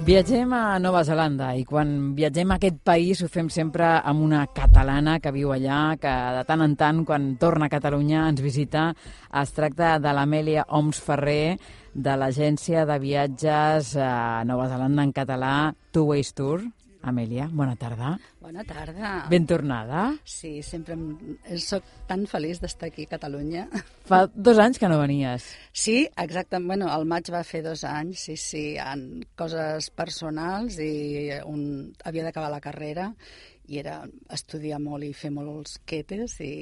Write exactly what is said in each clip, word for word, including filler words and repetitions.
Viatgem a Nova Zelanda i quan viatgem a aquest país ho fem sempre amb una catalana que viu allà, que de tant en tant, quan torna a Catalunya, ens visita. Es tracta de l'Amèlia Oms Ferrer, de l'agència de viatges a Nova Zelanda en català, Two Ways Tour. Amèlia, bona tarda. Bona tarda. Ben tornada. Sí, sempre soc tan feliç d'estar aquí a Catalunya. Fa dos anys que no venies. Sí, exacte. Bueno, el maig va fer dos anys, sí, sí, en coses personals i un... havia d'acabar la carrera i era estudiar molt i fer molts quetes i,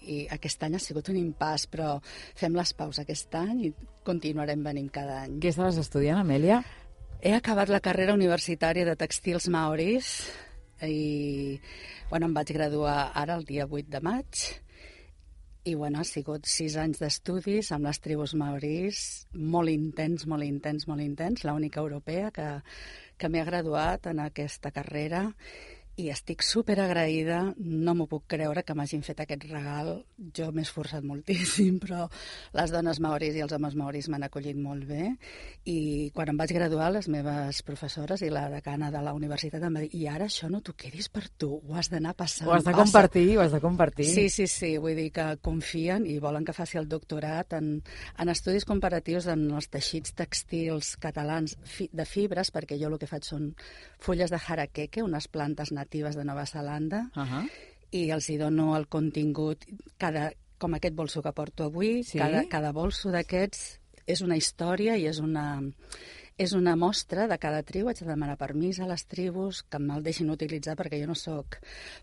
i aquest any ha sigut un impàs, però fem les paus aquest any i continuarem venint cada any. Què estaves estudiant, Amèlia? He acabat la carrera universitària de tèxtils maoris i bueno, em vaig graduar ara el dia vuit de maig i bueno, ha sigut sis anys d'estudis amb les tribus maoris, molt intens, molt intens, molt intens, l'única europea que, que m'he graduat en aquesta carrera i estic superagraïda, no m'ho puc creure que m'hagin fet aquest regal. Jo m'he esforçat moltíssim, però les dones maoris i els homes maoris m'han acollit molt bé. I quan em vaig graduar, les meves professores i la decana de la universitat em va dir i ara això no t'ho quedis per tu, ho has d'anar passant. Ho has de compartir, ho has de compartir. Sí, sí, sí, vull dir que confien i volen que faci el doctorat en, en estudis comparatius en els teixits tèxtils catalans fi, de fibres, perquè jo el que faig són fulles de harakeke, unes plantes natives de Nova Zelanda, uh-huh. i els hi dono el contingut, cada, com aquest bolso que porto avui, sí? cada, cada bolso d'aquests és una història i és una, és una mostra de cada tribu. Haig de demanar permís a les tribus que me'l deixin utilitzar perquè jo no sóc,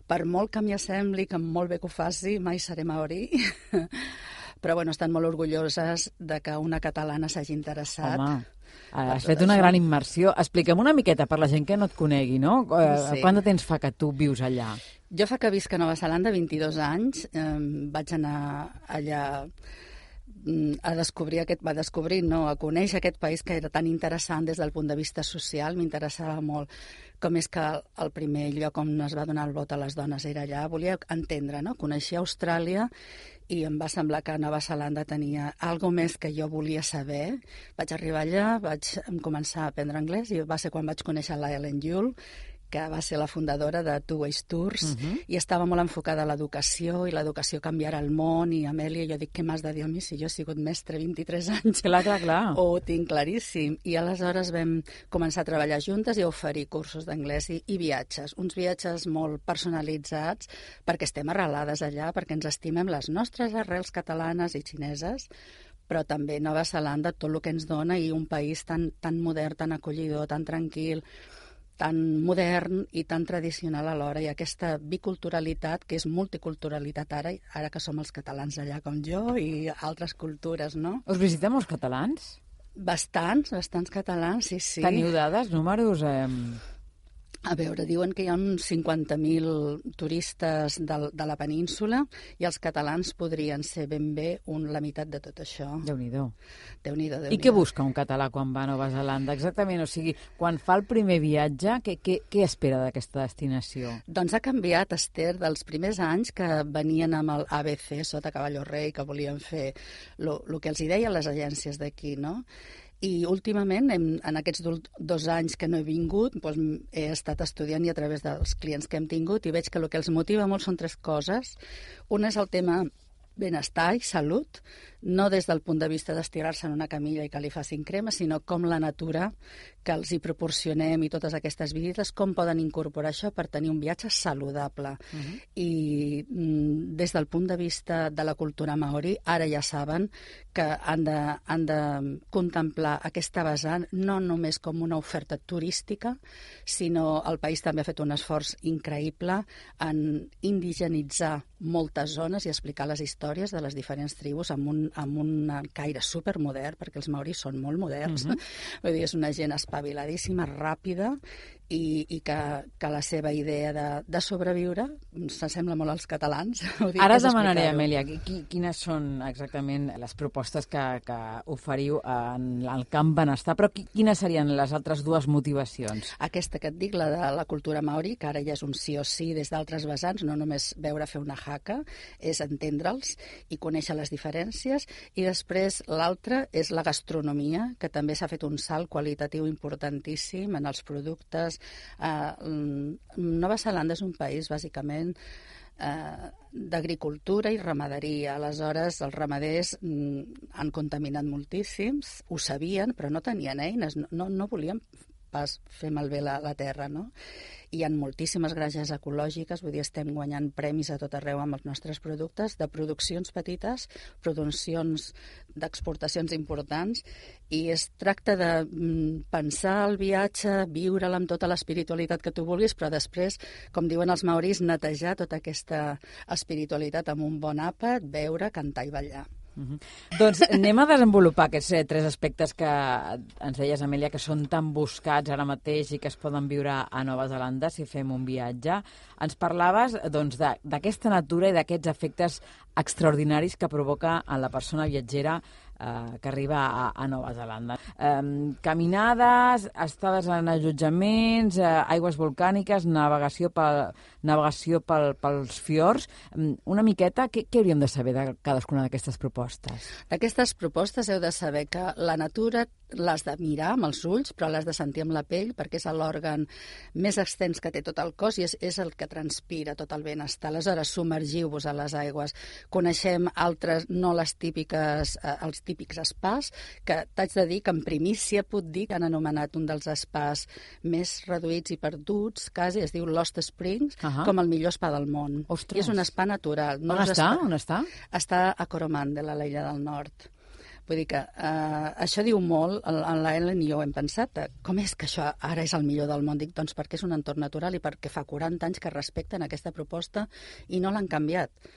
per molt que m'hi assembli, que molt bé que ho faci, mai seré maori. Però bueno, estan molt orgulloses de que una catalana s'hagi interessat. Home, has fet una gran immersió. Expliquem una miqueta per la gent que no et conegui, no? Sí. Quant de temps fa que tu vius allà? Jo fa que visc a Nova Zelanda vint-i-dos anys. Eh, vaig anar allà a descobrir aquest, va descobrir, no, a conèixer aquest país que era tan interessant des del punt de vista social. M'interessava molt com és que el primer lloc on es va donar el vot a les dones era allà. Volia entendre, no? Coneixia Austràlia i em va semblar que Nova Zelanda tenia algo més que jo volia saber. Vaig arribar allà, vaig començar a aprendre anglès i va ser quan vaig conèixer la Ellen Yule, que va ser la fundadora de Two Ways Tours, uh-huh. i estava molt enfocada a l'educació, i l'educació canviarà el món, i Amèlia, jo dic, què m'has de dir a mi si jo he sigut mestre vint-i-tres anys? Clar, clar, clar. Ho tinc claríssim. I aleshores vam començar a treballar juntes i a oferir cursos d'anglès i, i viatges, uns viatges molt personalitzats, perquè estem arrelades allà, perquè ens estimem les nostres arrels catalanes i xineses, però també Nova Zelanda, tot el que ens dona, i un país tan, tan modern, tan acollidor, tan tranquil, tan modern i tan tradicional alhora, i aquesta biculturalitat, que és multiculturalitat ara, ara que som els catalans allà com jo i altres cultures, no? Us visitem els catalans? Bastants, bastants catalans, sí, sí. Teniu dades, números? Eh... A veure, diuen que hi ha uns cinquanta mil turistes de, de la península i els catalans podrien ser ben bé un, la meitat de tot això. Déu-n'hi-do. Déu-n'hi-do, Déu-n'hi-do. I què busca un català quan va a Nova Zelanda? Exactament, o sigui, quan fa el primer viatge, què, què, què espera d'aquesta destinació? Doncs ha canviat, Esther, dels primers anys que venien amb el A B C sota Cavallo Rei, que volien fer el que els hi deien les agències d'aquí, no? I últimament, en, en aquests dos anys que no he vingut, doncs, he estat estudiant i a través dels clients que hem tingut i veig que el que els motiva molt són tres coses. Una és el tema benestar i salut, no des del punt de vista d'estirar-se en una camilla i que li facin crema, sinó com la natura que els hi proporcionem i totes aquestes visites, com poden incorporar això per tenir un viatge saludable. Uh-huh. I mm, des del punt de vista de la cultura maori, ara ja saben que han de, han de contemplar aquesta vessant no només com una oferta turística, sinó el país també ha fet un esforç increïble en indigenitzar moltes zones i explicar les històries de les diferents tribus amb un, amb un caire supermodern, perquè els maoris són molt moderns. Uh-huh. Vull dir, és una gent espaviladíssima, ràpida, i, i que, que la seva idea de, de sobreviure s'assembla molt als catalans. Dic, Ara es demanaré, Amèlia, qui, quines són exactament les propostes que, que oferiu en el camp benestar, però quines serien les altres dues motivacions? Aquesta que et dic, la de la cultura maori, que ara ja és un sí o sí des d'altres vessants, no només veure fer una haka, és entendre'ls i conèixer les diferències, i després l'altra és la gastronomia, que també s'ha fet un salt qualitatiu importantíssim en els productes. Uh, Nova Zelanda és un país, bàsicament, uh, d'agricultura i ramaderia. Aleshores, els ramaders mm, han contaminat moltíssims, ho sabien, però no tenien eines, no, no volien pas fer malbé la, la terra, no? Hi ha moltíssimes granges ecològiques, vull dir, estem guanyant premis a tot arreu amb els nostres productes, de produccions petites, produccions d'exportacions importants, i es tracta de mm, pensar el viatge, viure'l amb tota l'espiritualitat que tu vulguis, però després, com diuen els maoris, netejar tota aquesta espiritualitat amb un bon àpat, beure, cantar i ballar. Uh-huh. Doncs anem a desenvolupar aquests eh, tres aspectes que ens deies, Amèlia, que són tan buscats ara mateix i que es poden viure a Nova Zelanda si fem un viatge. Ens parlaves doncs, d'aquesta natura i d'aquests efectes extraordinaris que provoca en la persona viatgera eh, que arriba a, a Nova Zelanda. Eh, caminades, estades en allotjaments, eh, aigües volcàniques, navegació, pel, navegació pel, pels fiords. Una miqueta, què, què hauríem de saber de cadascuna d'aquestes propostes? D'aquestes propostes heu de saber que la natura l'has de mirar amb els ulls, però l'has de sentir amb la pell, perquè és l'òrgan més extens que té tot el cos i és, és el que transpira tot el benestar. Aleshores, submergiu-vos a les aigües. Coneixem altres, no les típiques, eh, els típics spas, que t'haig de dir que en primícia puc dir que han anomenat un dels spas més reduïts i perduts, quasi, es diu Lost Springs, uh-huh. com el millor spa del món. Ostres. I és un spa natural. No On està? Spa... On està? Està a Coromandel, a l'illa del nord. Vull dir que eh, això diu molt, en la Ellen i jo hem pensat, eh, com és que això ara és el millor del món? Dic, doncs perquè és un entorn natural i perquè fa quaranta anys que respecten aquesta proposta i no l'han canviat.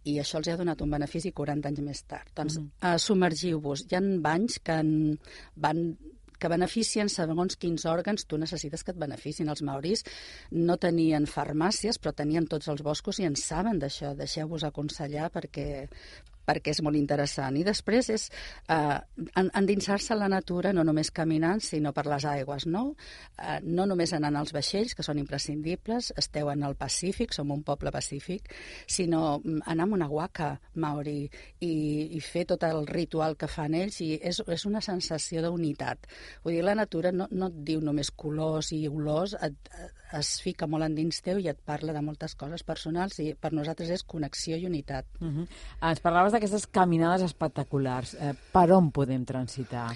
I això els ha donat un benefici quaranta anys més tard. Doncs mm. eh, submergiu-vos. Hi ha banys que en, van que beneficien segons quins òrgans tu necessites que et beneficin. Els maoris no tenien farmàcies, però tenien tots els boscos i en saben d'això. Deixeu-vos aconsellar perquè perquè és molt interessant. I després és eh, endinsar-se a la natura, no només caminant, sinó per les aigües, no? Eh, no només anant als vaixells, que són imprescindibles, esteu en el Pacífic, som un poble pacífic, sinó anar amb una waka maori i, i fer tot el ritual que fan ells, i és, és una sensació d'unitat. Vull dir, la natura no, no et diu només colors i olors, et, es fica molt endins teu i et parla de moltes coses personals, i per nosaltres és connexió i unitat. Uh-huh. Ens parlaves d'aquestes caminades espectaculars. Eh, per on podem transitar?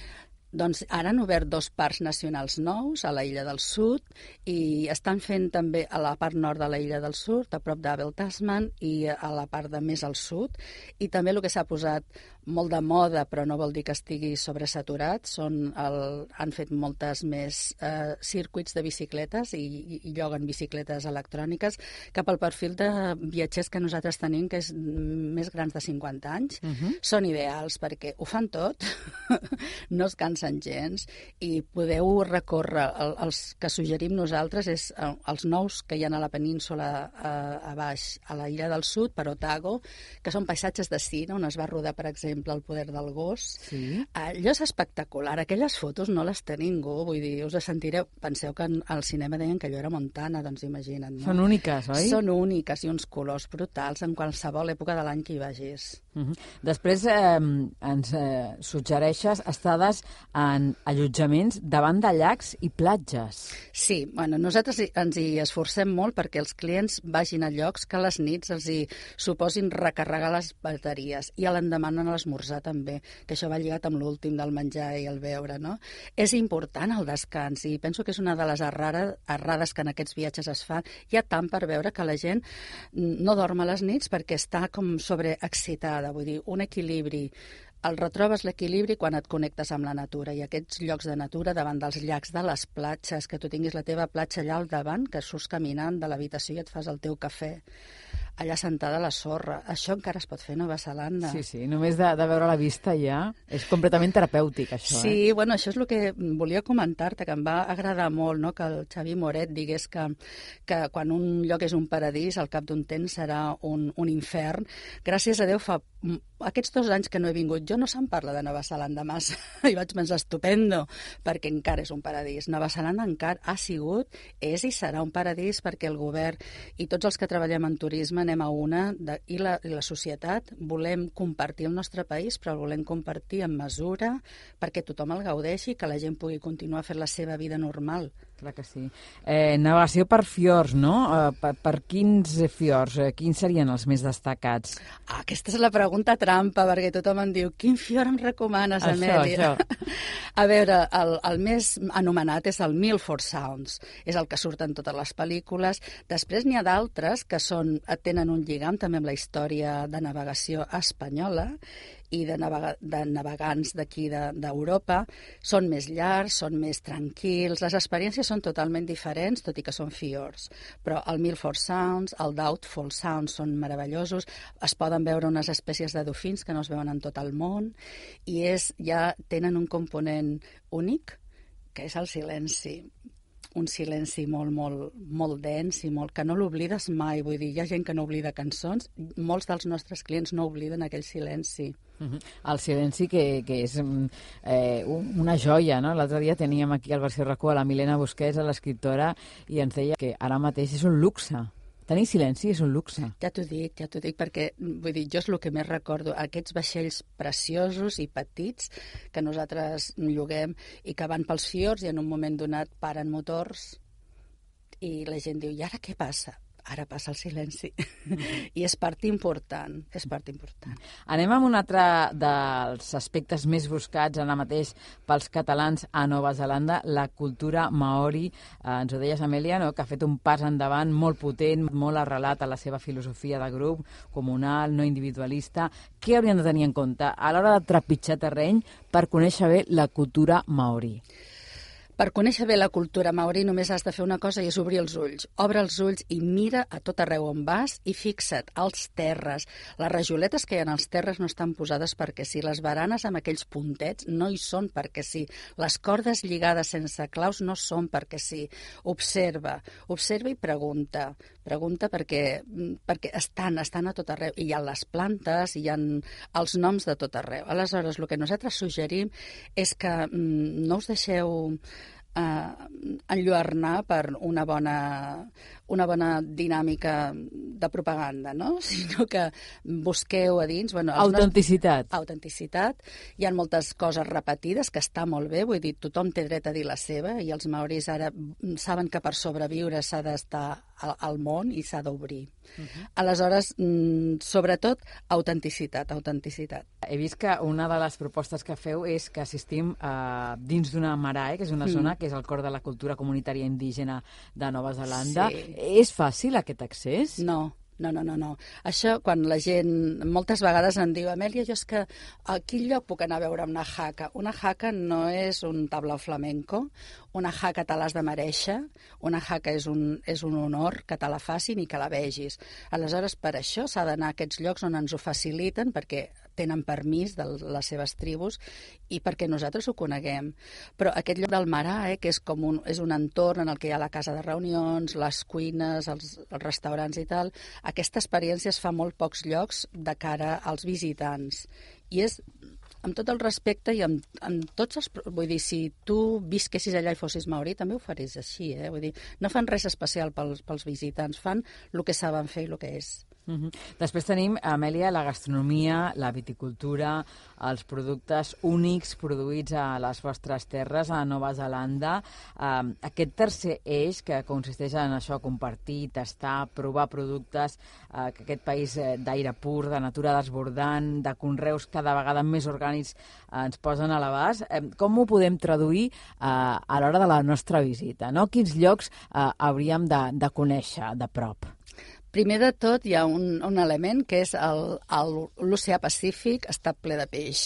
Doncs ara han obert dos parcs nacionals nous a la Illa del Sud i estan fent també a la part nord de la Illa del Sud, a prop d'Abel Tasman, i a la part de més al sud. I també el que s'ha posat molt de moda, però no vol dir que estigui sobresaturat, són el, han fet moltes més eh, circuits de bicicletes i, i, i lloguen bicicletes electròniques cap al perfil de viatgers que nosaltres tenim, que és més grans de cinquanta anys. Uh-huh. Són ideals perquè ho fan tot, no es cansen gens, i podeu recórrer. El, els que suggerim nosaltres és els nous que hi ha a la península a, a baix, a la Illa del Sud, per Otago, que són paisatges de cine, on es va rodar, per exemple, El poder del gos. Sí. Allò és espectacular. Aquelles fotos no les té ningú. Vull dir, us sentireu... Penseu que al cinema deien que allò era Montana, doncs imagina't, no? Són úniques, oi? Són úniques i uns colors brutals en qualsevol època de l'any que hi vagis. Uh-huh. Després eh, ens eh, suggereixes estades en allotjaments davant de llacs i platges. Sí, bueno, nosaltres ens hi esforcem molt perquè els clients vagin a llocs que a les nits els hi suposin recarregar les bateries i a l'endemà a l'esmorzar també, que això va lligat amb l'últim del menjar i el beure, no? És important el descans i penso que és una de les errades, errades que en aquests viatges es fan. Hi ha tant per veure que la gent no dorm a les nits perquè està com sobreexcitada, vull dir, un equilibri. El retrobes l'equilibri quan et connectes amb la natura, i aquests llocs de natura davant dels llacs, de les platges, que tu tinguis la teva platja allà al davant, que surts caminant de l'habitació i et fas el teu cafè. allà sentada a la sorra. Això encara es pot fer a Nova Zelanda. Sí, sí, només de, de veure la vista ja és completament terapèutic, això. Sí, eh? bueno, això és el que volia comentar-te, que em va agradar molt, no?, que el Xavi Moret digués que, que quan un lloc és un paradís, al cap d'un temps serà un, un infern. Gràcies a Déu, fa aquests dos anys que no he vingut jo, no se'n parla de Nova Zelanda massa. I vaig pensar, estupendo, perquè encara és un paradís. Nova Zelanda encara ha sigut, és i serà un paradís perquè el govern i tots els que treballem en turisme anem a una, de, i, la, i la societat volem compartir el nostre país, però el volem compartir amb mesura perquè tothom el gaudeixi i que la gent pugui continuar fent la seva vida normal. Clar que sí. Eh, navegació per fiords, no? Eh, per, per quins fiords? Eh, quins serien els més destacats? Ah, aquesta és la pregunta trampa, perquè tothom em diu, quin fiord em recomanes, això, Amèlia? Això. A veure, el, el més anomenat és el Milford Sounds, és el que surt en totes les pel·lícules. Després n'hi ha d'altres que són, tenen un lligam també amb la història de navegació espanyola i de, navega, de navegants d'aquí d'Europa. Són més llargs, són més tranquils, les experiències són totalment diferents, tot i que són fiords. Però el Milford Sounds, el Doubtful Sounds són meravellosos, es poden veure unes espècies de dofins que no es veuen en tot el món, i és, ja tenen un component únic, que és el silenci. Un silenci molt, molt, molt dens i molt, que no l'oblides mai. Vull dir, hi ha gent que no oblida cançons, molts dels nostres clients no obliden aquell silenci. Uh-huh. El silenci que, que és eh, una joia, no? L'altre dia teníem aquí al Versió RAC u a la Milena Busquets, l'escriptora, i ens deia que ara mateix és un luxe. Tenir silenci és un luxe. Ja t'ho dic, ja t'ho dic, perquè vull dir, jo és el que més recordo, aquests vaixells preciosos i petits que nosaltres lloguem i que van pels fiords i en un moment donat paren motors i la gent diu, i ara què passa? Ara passa el silenci. Mm-hmm. I és part important, és part important. Anem amb un altre dels aspectes més buscats ara mateix pels catalans a Nova Zelanda, la cultura maori. Eh, ens ho deies, Amèlia, no?, que ha fet un pas endavant molt potent, molt arrelat a la seva filosofia de grup, comunal, no individualista. Què haurien de tenir en compte a l'hora de trepitjar terreny per conèixer bé la cultura maori? Per conèixer bé la cultura maori només has de fer una cosa i és obrir els ulls. Obre els ulls i mira a tot arreu on vas i fixa't als terres. Les rajoletes que hi ha als terres no estan posades perquè sí. Les baranes amb aquells puntets no hi són perquè sí. Les cordes lligades sense claus no són perquè sí. Observa, observa i pregunta. Pregunta perquè, perquè estan, estan a tot arreu. I hi ha les plantes, hi ha els noms de tot arreu. Aleshores, el que nosaltres suggerim és que mm, no us deixeu eh, enlluernar per una bona, una bona dinàmica de propaganda, no? Sinó que busqueu a dins... Bueno, autenticitat. Nostres... Autenticitat. Hi ha moltes coses repetides, que està molt bé, vull dir, tothom té dret a dir la seva, i els maoris ara saben que per sobreviure s'ha d'estar al, al món i s'ha d'obrir. Uh-huh. Aleshores, sobretot, autenticitat, autenticitat. He vist que una de les propostes que feu és que assistim eh, dins d'una marae, que és una mm. zona que és el cor de la cultura comunitària indígena de Nova Zelanda. Sí. És fàcil aquest accés? No. No, no, no, no. Això, quan la gent moltes vegades em diu, Amèlia, jo és que a quin lloc puc anar a veure una jaca? Una jaca no és un tablao flamenco, una jaca te l'has de merèixer, una jaca és un, és un honor que te la facin i que la vegis. Aleshores, per això s'ha d'anar a aquests llocs on ens ho faciliten, perquè tenen permís de les seves tribus i perquè nosaltres ho coneguem. Però aquest lloc del Marae, que és com un, és un entorn en el que hi ha la casa de reunions, les cuines, els, els restaurants i tal, aquesta experiència es fa a molt pocs llocs de cara als visitants. I és, amb tot el respecte i amb, amb tots els... Vull dir, si tu visquessis allà i fossis maori, també ho faries així, eh? Vull dir, no fan res especial pels, pels visitants, fan el que saben fer i el que és. Uh-huh. Després tenim, Amèlia, la gastronomia, la viticultura, els productes únics produïts a les vostres terres a Nova Zelanda. Uh, aquest tercer eix, que consisteix en això, compartir, tastar, provar productes, uh, que aquest país uh, d'aire pur, de natura desbordant, de conreus cada vegada més orgànics uh, ens posen a l'abast. Uh, com ho podem traduir uh, a l'hora de la nostra visita, no? Quins llocs uh, hauríem de, de conèixer de prop? Primer de tot hi ha un, un element que és l'oceà Pacífic està ple de peix.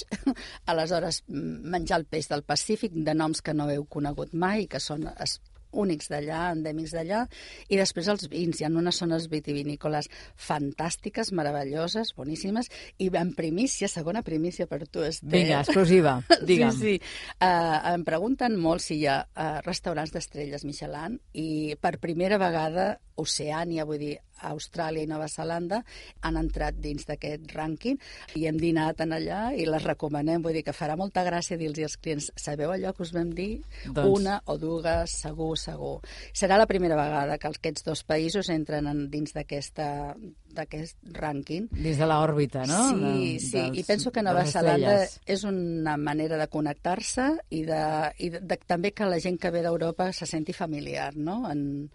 Aleshores, menjar el peix del Pacífic de noms que no heu conegut mai, que són es, únics d'allà, endèmics d'allà, i després els vins. Hi ha unes zones vitivinícoles fantàstiques, meravelloses, boníssimes, i en primícia, segona primícia per tu, Esther. Vinga, exclusiva, digue'm. Sí, sí. Uh, em pregunten molt si hi ha uh, restaurants d'estrelles Michelin, i per primera vegada Oceània, vull dir, Austràlia i Nova Zelanda han entrat dins d'aquest rànquing i hem dinat en allà i les recomanem, vull dir que farà molta gràcia dir-los als clients, sabeu allò que us vam dir? Doncs... Una o dues, segur, segur. Serà la primera vegada que aquests dos països entren en, dins d'aquesta d'aquest rànquing. Dins de l'òrbita, no? Sí, de, sí, dels, i penso que Nova Zelanda és una manera de connectar-se i, de, i de, de, també que la gent que ve d'Europa se senti familiar, no? En,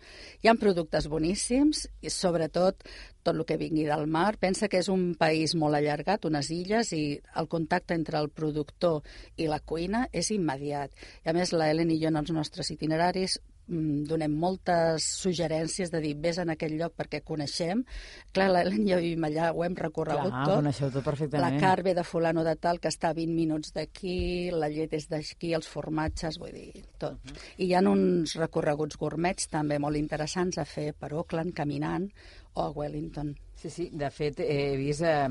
hi ha productes boníssims i sobretot tot el que vingui del mar. Pensa que és un país molt allargat, unes illes, i el contacte entre el productor i la cuina és immediat. I a més, la Helen i jo en els nostres itineraris donem moltes suggerències de dir vés en aquell lloc perquè coneixem. Clar, l'Helen i jo vivim allà, ho hem recorregut Clar, tot. coneixeu tot perfectament. La carn ve de fulano de tal, que està a vint minuts d'aquí, la llet és d'aquí, els formatges, vull dir, tot. Uh -huh. I hi ha uns recorreguts gourmets també molt interessants a fer per Auckland, caminant, o a Wellington. Sí, sí, de fet he vist eh,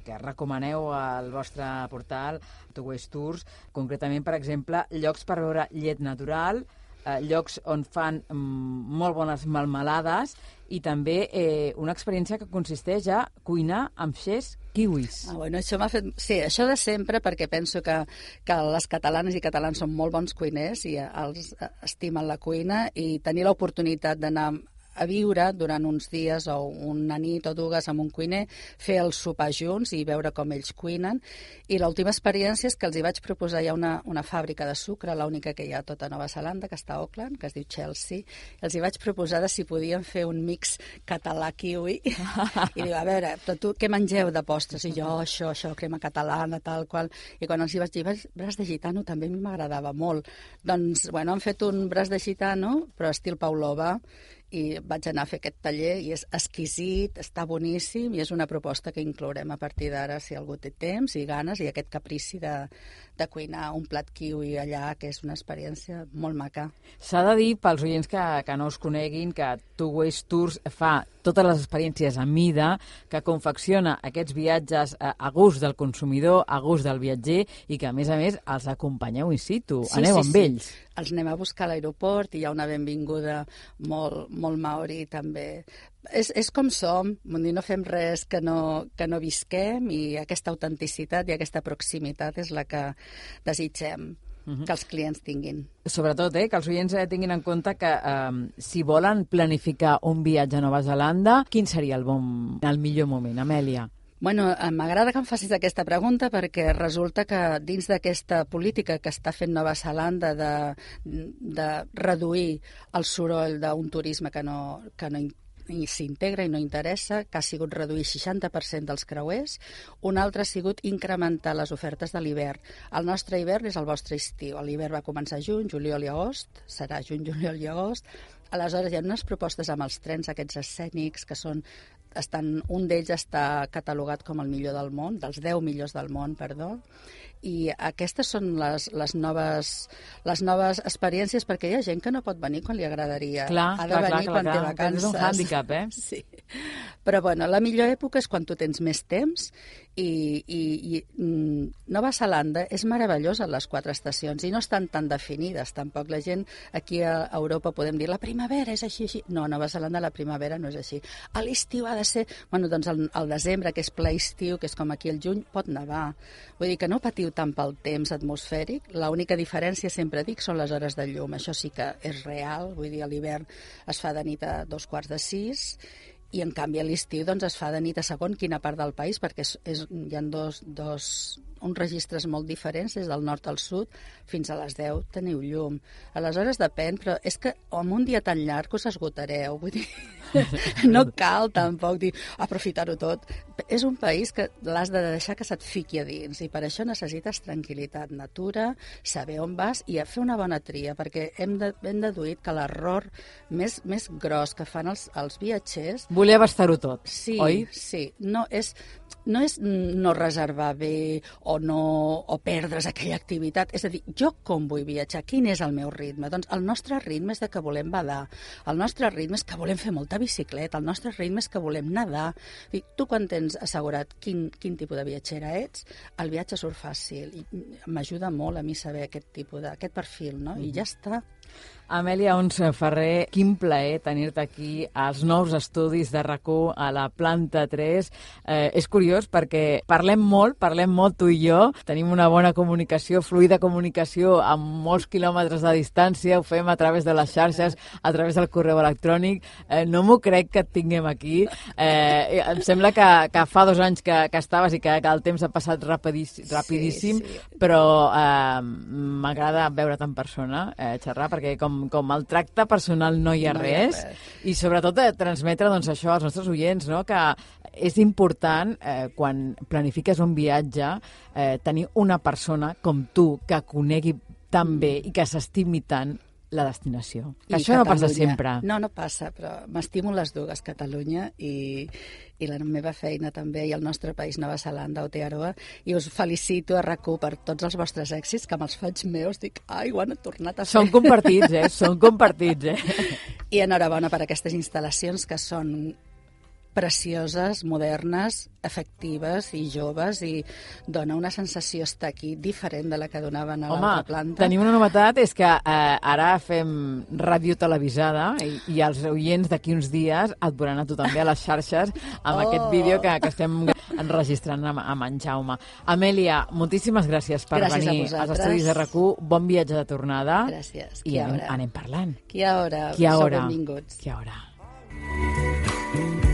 que recomaneu al vostre portal, Two Ways Tours, concretament, per exemple, llocs per veure llet natural, eh, llocs on fan mm, molt bones melmelades i també eh, una experiència que consisteix a cuinar amb xers kiwis. Ah, bueno, això m'ha fet... Sí, això de sempre, perquè penso que, que les catalanes i catalans són molt bons cuiners i els estimen la cuina, i tenir l'oportunitat d'anar a viure durant uns dies o una nit o dues amb un cuiner, fer el sopar junts i veure com ells cuinen. I l'última experiència és que els hi vaig proposar, hi ha una, una fàbrica de sucre, l'única que hi ha a tota Nova Zelanda, que està a Auckland, que es diu Chelsea, i els hi vaig proposar de si podien fer un mix català-kiwi. I diu, a veure, però tu què mengeu de postres? I jo, això, això, crema catalana, tal qual. I quan els hi vaig dir, braç de gitano també a mi m'agradava molt. Doncs, bueno, han fet un braç de gitano, però estil Pavlova, i vaig anar a fer aquest taller i és exquisit, està boníssim, i és una proposta que inclourem a partir d'ara si algú té temps i ganes, i aquest caprici de, de cuinar un plat kiwi allà, que és una experiència molt maca. S'ha de dir, pels oients que, que no us coneguin, que Two Ways Tours fa totes les experiències a mida, que confecciona aquests viatges a, a gust del consumidor, a gust del viatger, i que, a més a més, els acompanyeu in situ. Sí, Aneu sí, amb sí. ells. Els anem a buscar a l'aeroport i hi ha una benvinguda molt, molt maori també. És, és com som, no fem res que no, que no visquem, i aquesta autenticitat i aquesta proximitat és la que desitgem uh-huh. que els clients tinguin. Sobretot, eh, que els oients eh, tinguin en compte que eh, si volen planificar un viatge a Nova Zelanda, quin seria el bon, el millor moment, Amèlia? Bueno, m'agrada que em facis aquesta pregunta perquè resulta que dins d'aquesta política que està fent Nova Zelanda de, de reduir el soroll d'un turisme que no, que no i s'integra i no interessa, que ha sigut reduir seixanta per cent dels creuers. Un altre ha sigut incrementar les ofertes de l'hivern. El nostre hivern és el vostre estiu. L'hivern va començar a juny, juliol i agost, serà juny, juliol i agost. Aleshores hi ha unes propostes amb els trens aquests escènics que són estan, un d'ells està catalogat com el millor del món, dels deu millors del món, perdó, i aquestes són les, les, noves, les noves experiències, perquè hi ha gent que no pot venir quan li agradaria. Clar, ha de clar, venir clar, quan clar, té vacances. És un hàndicap, eh? Sí. Però, bueno, la millor època és quan tu tens més temps, i, i, i Nova Zelanda és meravellosa en les quatre estacions, i no estan tan definides, tampoc. La gent aquí a Europa podem dir, la primavera és així, així. No, a Nova Zelanda la primavera no és així. A l'estiu ha de ser... Bueno, doncs el, el desembre, que és ple estiu, que és com aquí el juny, pot nevar. Vull dir que no patiu tant pel temps atmosfèric. L'única diferència, sempre dic, són les hores de llum. Això sí que és real. Vull dir, a l'hivern es fa de nit a dos quarts de sis, i en canvi a l'estiu doncs, es fa de nit a segon quina part del país, perquè és, és, hi ha dos, dos, uns registres molt diferents, des del nord al sud, fins a les deu teniu llum. Aleshores depèn, però és que amb un dia tan llarg us esgotareu, vull dir... No cal tampoc dir aprofitar-ho tot. És un país que l'has de deixar que se't fiqui a dins i per això necessites tranquil·litat, natura, saber on vas i fer una bona tria, perquè hem, de, hem deduït que l'error més, més gros que fan els, els viatgers... Voler abastar-ho tot, sí, oi? Sí, no és, no és no reservar bé o, no, o perdre's aquella activitat. És a dir, jo com vull viatjar? Quin és el meu ritme? Doncs el nostre ritme és de que volem badar, el nostre ritme és que volem fer molta bicicleta, el nostre ritme és que volem nedar. I tu quan tens assegurat quin, quin tipus de viatgera ets, el viatge surt fàcil. I m'ajuda molt a mi saber aquest tipus de, aquest perfil, no? Mm. I ja està. Amèlia Oms Ferrer, quin plaer tenir-te aquí als nous estudis de RAC1 a la planta tres. Eh, és curiós perquè parlem molt, parlem molt tu i jo, tenim una bona comunicació, fluida comunicació a molts quilòmetres de distància, ho fem a través de les xarxes, a través del correu electrònic. Eh, no m'ho crec que et tinguem aquí. Eh, em sembla que, que fa dos anys que, que estaves i que, que el temps ha passat rapidíssim, rapidíssim sí, sí. Però eh, m'agrada veure't en persona, eh, xerrar, perquè com com el tracte personal no hi ha, no res, hi ha res, i sobretot eh, transmetre doncs, això als nostres oients, no? Que és important, eh, quan planifiques un viatge, eh, tenir una persona com tu que conegui tan bé i que s'estimi tant la destinació. I això Catalunya. No passa sempre. No, no passa, però m'estimo les dues, Catalunya i, i la meva feina també, i el nostre país, Nova Zelanda, Aotearoa, i us felicito a RAC1 per tots els vostres èxits, que me'ls faig meus, dic, ai, ho han tornat a fer. Són compartits, eh? Són compartits, eh? I enhorabona per aquestes instal·lacions que són precioses, modernes, efectives i joves, i dona una sensació estar aquí diferent de la que donaven a l'altra planta. Home, tenim una novetat, és que eh, ara fem ràdio televisada i, i els oients d'aquí uns dies et veuran a tu també a les xarxes amb oh. aquest vídeo que, que estem enregistrant amb, amb en Jaume. Amèlia, moltíssimes gràcies per gràcies venir als estudis de RAC1. Bon viatge de tornada. Gràcies. I anem, anem parlant. Qui a hora? Qui a hora? Sou benvinguts. Qui a hora?